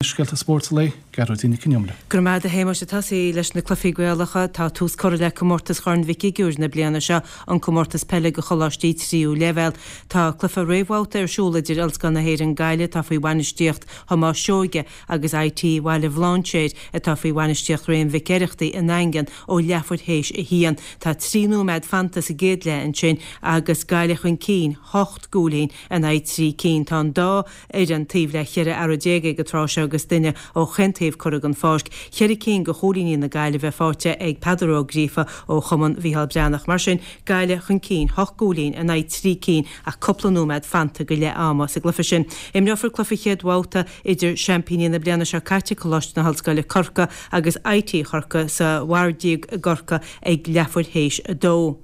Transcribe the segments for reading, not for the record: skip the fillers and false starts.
Scéalta spóirt an lae, Gearóidín Nic Con Iomaire. Go raibh maith agat a Shéamais. Ag tosaí leis na cluichí Gaelacha, tá tús curtha le comórtas Chorn Mhic Shigiúir na bliana seo, an comórtas peile do choláistí tríú leibhéal. Tá cluiche réamhbhabhta ar siúl idir Ollscoil na hÉireann Gaillimh, atá faoi bhainistíocht Thomáis Seoige, agus IT Bhaile Bhlainséir, atá faoi bhainistíocht Réamoinn Mhic Oireachtaigh i nDaingean ó leathuair théis a haon. Tá 3 nóiméad fanta sa gcéad leath ansin agus Gaillimh chun cinn, 8 gcúilín in aghaidh 3 cinn. Tá an dá fhoireann taobh le 14 fhear ag an tráth seo agus duine ó chaon taobh curtha den pháirc. Cheithre cinn de chúilíní na Gaillimhe faighte ag Peadar Ó Gríofa ó Chumann Mhícheál Breathnach. Mar sin, Gaillimh chun cinn, hocht gcúilín in aghaidh trí cinn ach cúpla nóiméad fanta go leath ama sa gcluiche sin. Imreofar cluiche chéad bhabhta idir seaimpíní na bliana seo caite, Coláiste na hOllscoile Corcaigh agus IT Chorcaí sa Mhairdíog i gCorcaigh ag leathuair théis a dó.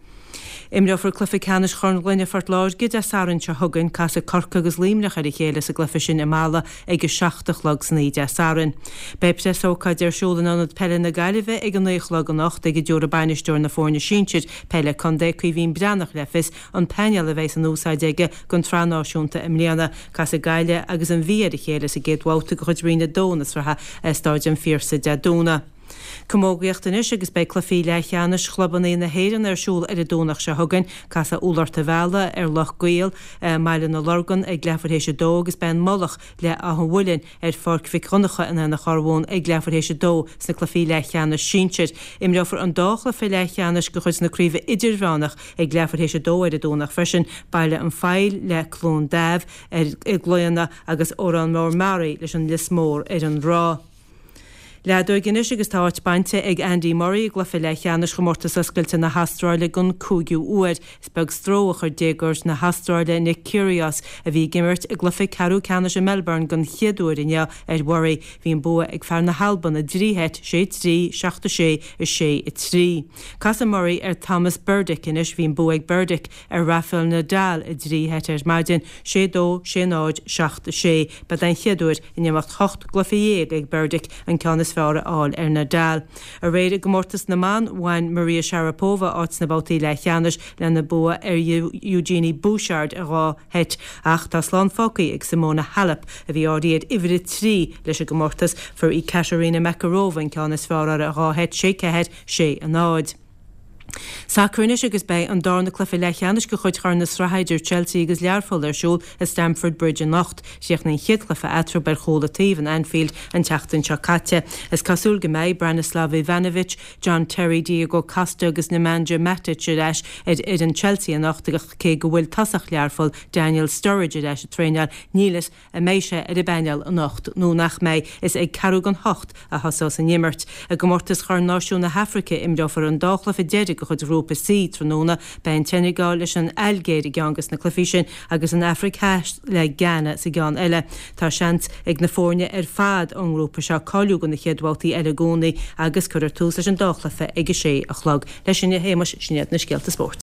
Imreofar cluiche ceannais Chorn Gloine Phort Láirge Dé Sathairn seo chugainn. Casfaidh Corcaigh agus Luimneach ar a chéile sa gcluiche sin i Mala ag 7 a chlog san oíche Dé Sathairn. Beidh preasócáid ar siúl in Ionad Peile na Gaillimhe ag 9 a chlog anocht ag a dtabharfaidh bainisteoir na foirne sinsir peile contae, Caoimhín Breathnach le fios an painéal a bheidh in úsáid aige don tSraith Náisiúnta i mbliana. Casfaidh Gaillimh agus an Mhí ar a chéile sa gcéad bhabhta de chuid Roinn 2 na sraithe i Stáid an Phiarsaigh Dé Domhnaigh. Camógaíocht anois agus beidh cluichí leathcheannais chlubanna na hÉireann ar siúl ar an Domhnach seo chugainn. Casfaidh Úll Ort an Bhealaigh ar Loch gCaol i mBaile na Lorgan ag leathuair théis a dó agus beidh an Mullach le Áth an Mhuilinn ar Pháirc Mhic Dhonncha in Aonach Urmhumhan ag leathuair théis a dó sna cluichí leathcheannais sinsir. Imreofar an dá chluiche leathcheannais de chuid na Craoibhe Idirmheánach ag leathuair théis a dó ar an Domhnach freisin, Baile an Phoill le Cluain Daimh ar i gClaonadh agus Órán Mór Meáraí leis an Lios Mór ar an Ráth. Leadóig anois agus tá áit bainte ag Andy Murray i gcluiche leathcheannais Chomórtas Oscailte na hAstráile den cúigiú huair. Is beag stró a chuir déagóir na hAstráile Nick Kyrgios, a bhí ag imirt i gcluiche ceathrú ceannais i Melbourne den chéad uair inniu, ar Mhurray. Bhí an bua ag fear na hAlban i dtrí sheit, 6-3, 7-6, 6-3. Casfaidh Murray ar Tomas Berdych anois. Bhí an bua ag Berdych ar Rafael Nadal i dtrí sheit ar maidin, 6 2, 6 0, 7 6. B'é den chéad uair in imeacht 18 gcluiche ag Berdych an ceann is fearr a fháil ar Nadal. Aréir i gcomórtas na mban, bhain Maria Sharapova áit sna babhtaí leathcheannais lena bua ar Eugenie Bouchard i dhá sheit ach tá slán fágtha ag Simona Halep, a bhí áirithe ar uimhir a trí leis an gcomórtas. Fuair Ekaterina Makarova an ceann is fearr uirthi i dhá sheit, 6 4, 6 0. Sacar anois agus beidh an darna cluiche leathcheannais de chuid Chorn na Sraithe idir Chelsea agus Learpholl ar siúl i Stamford Bridge anocht. Chríochnaigh an chéad chluiche eatarthu ar chúl an taobh in Anfield an tseachtain seo caite. Is cosúil go mbeidh Branislav Ivanovic, John Terry, Diego Costa agus Nemanja Matic ar ais ar fhoireann Chelsea anocht ach cé go bhfuil tosach Learpholl, Daniel Sturridge ar ais ag traenáil, níl fhios An mbeidh sé ar an bpainéal anocht nó nach mbeidh, is ag ceathrú don hocht a thosós an imirt. I gcomórtas Chorn Náisiún na hAfraice, imreofar an dá chluiche deiridh de chuid Ghrúpa C tráthnóna. Beidh an tSeineagáil leis an Ailgéir i gceann de na cluichí sin agus an Afraic Theas le Ghana sa gceann eile. Tá seans ag na foirne ar fad ón ngrúpa seo cáiliú do na chéad bhabhtaí eile i gcónaí agus cuirfear tús leis an dá chluiche ag a sé a chlog. Leis sin, a Shéamais, sin iad na scéalta spóirt.